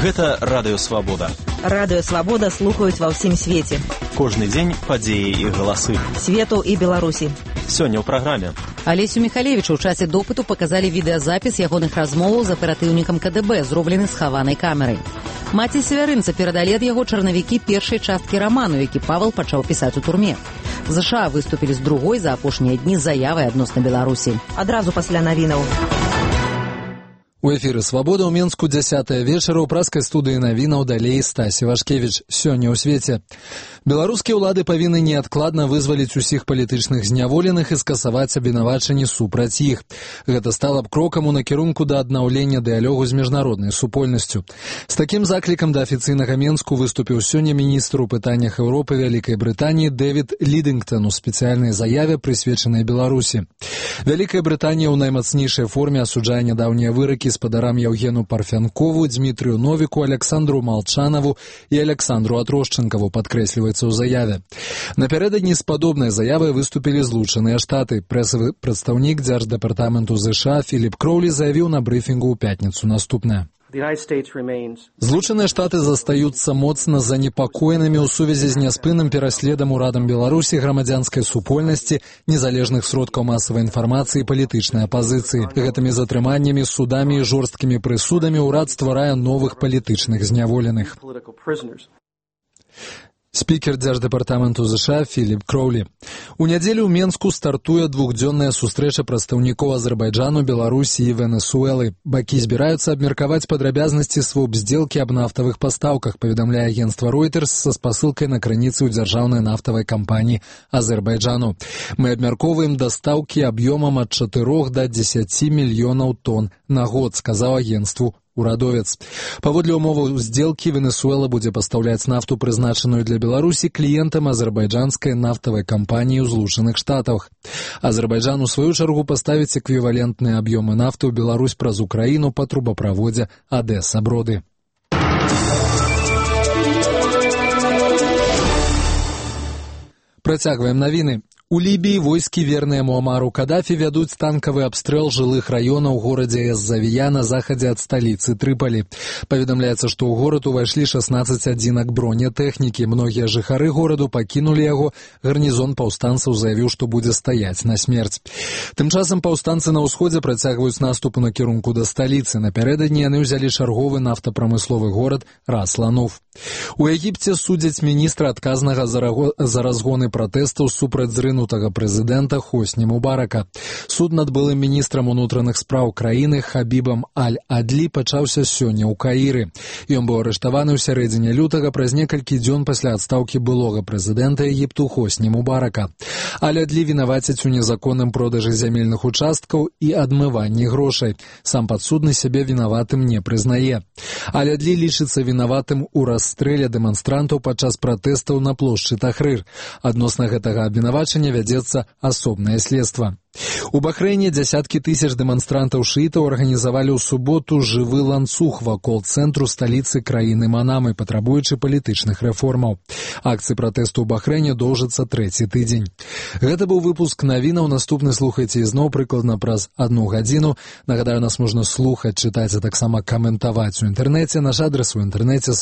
Гэта Радыё Свабода. Радыё Свабода слухаюць ва ўсім свеце. Кожны дзень падзеі і галасы. Свету і Беларусі. Сёння ў праграме. Алесю Михалевичу ў часе допыту паказалі відэазапіс ягоных размоваў з аператыўнікам КДБ, зроблены з хаванай камерай. Маці севярынца перадалі ад яго чарнавікі першай часткі раману, які Павел пачаў пісаць у турме. ЗША выступілі з другой за апошнія дні заявай адносна Беларусі. Адразу пасля навінаў. У эфіры «Свабода» ў Менску 10 вечара ў праскай студыі навінаў далей Стасі Вашкевіч. Сёння ў свеце. Беларускія ўлады павінны неадкладна вызваліць усіх палітычных зняволеных і скасаваць абвінавачанні супраць іх. Гэта стала б крокам у накірунку да аднаўлення дыялогу з міжнароднай супольнасцю. З такім заклікам да афіцыйнага Менску выступіў сёння міністр у пытаннях Еўропы Вялікай Брытаніі Дэвід Лідынгтон у спецыяльнай заяве, прысвечанай Беларусі. Вялікая Брытанія ў наймацнейшай форме асуджае нядаўнія выракі спадарам Яўгену Парфянкову, Дмітрыю Новіку, Александру Малчанаву і Александру Атрошчынкаву, падкрэсліваецца ў заяве. Напярэдадні з падобнай заявай выступілі Злучаныя Штаты. Прэсавы прадстаўнік Дзярждэпартаменту ЗША Філіп Кроўлі заявіў на брыфінгу ў пятніцу наступнае. Злучаныя Штаты застаюцца моцна занепакоенымі ў сувязі з няспынным пераследам урадам Беларусі грамадзянскай супольнасці, незалежных сродкаў масавай інфармацыі і палітычнай апазіцыі. Гэтымі затрыманнямі, судамі і жорсткімі прысудамі ўрад стварае новых палітычных зняволеных. Спікер Дзярждэпартаменту ЗША Філіп Кроўлі. У нядзелю ў Менску стартуе двухдзённая сустрэча прадстаўнікоў Азербайджану, Беларусі і Венесуэлы. Бакі збіраюцца абмеркаваць падрабязнасці своп-здзелкі аб нафтавых пастаўках, паведамляе агенцтва Reuters са спасылкай на крыніцы ў дзяржаўнай нафтавай кампаніі Азербайджану. Мы абмяркоўваем дастаўкі аб'ёмам ад 4 да 10 мільёнаў тонн на год, сказаў агенцтву урадовец. Паводле умоваў здзелкі Венесуэла будзе пастаўляць нафту, прызначаную для Беларусі, кліентам азербайджанскай нафтавай кампаніі ў Злучаных Штатах. Азербайджан, у сваю чаргу, паставіць эквівалентныя аб'ёмы нафты ў Беларусь праз Украіну па трубаправодзе Адэса-Броды. Працягваем навіны. У Лібіі войскі, верныя Муамару Кадафі, вядуць танкавы абстрэл жылых раёнаў у горадзе Эз-Завія на захадзе ад сталіцы Трыпалі. Паведамляецца, што ў горад увайшлі 16 адзінак бронетэхнікі. Многія жыхары гораду пакінулі яго. Гарнізон паўстанцаў заявіў, што будзе стаяць на смерць. Тым часам паўстанцы на ўсходзе працягваюць наступ у накірунку да сталіцы. Напярэдадні яны ўзялі чарговы нафтапрамысловы горад Рас-Лануф. У Егіпце судзяць міністра, адказнага за разгоны пратэстаў супраць зрынутага прэзідэнта Хосні Мубарака. Суд над былым міністрам унутраных спраў краіны Хабібам Аль-Адлі пачаўся сёння ў Каіры. Ён быў арыштаваны ў сярэдзіне лютага праз некалькі дзён пасля адстаўкі былога прэзідэнта Егіпту Хосні Мубарака. Аль-Адлі вінавацяць у незаконным продажы зямельных участкаў і адмыванні грошай. Сам падсудны сябе вінаватым не прызнае. Аль-Адлі лічыцца вінаватым у расстрэле дэманстрантаў падчас пратэстаў на плошчы Тахрыр. Адносна гэтага абвінавачання вядзецца асобнае следства. У Бахрэйне дзясяткі тысяч дэманстрантаў-шыітаў арганізавалі ў суботу жывы ланцуг вакол цэнтру сталіцы краіны Манамы, патрабуючы палітычных рэформаў. Акцыі пратэсту ў Бахрэйне доўжацца 3-й тыдзень. Гэта быў выпуск навінаў. Наступны слухайце ізноў прыкладна праз 1 гадзіну. Нагадаю, нас можна слухаць, чытаць, а таксама каментаваць у інтэрнэце. Наш адрас у інтэрнэце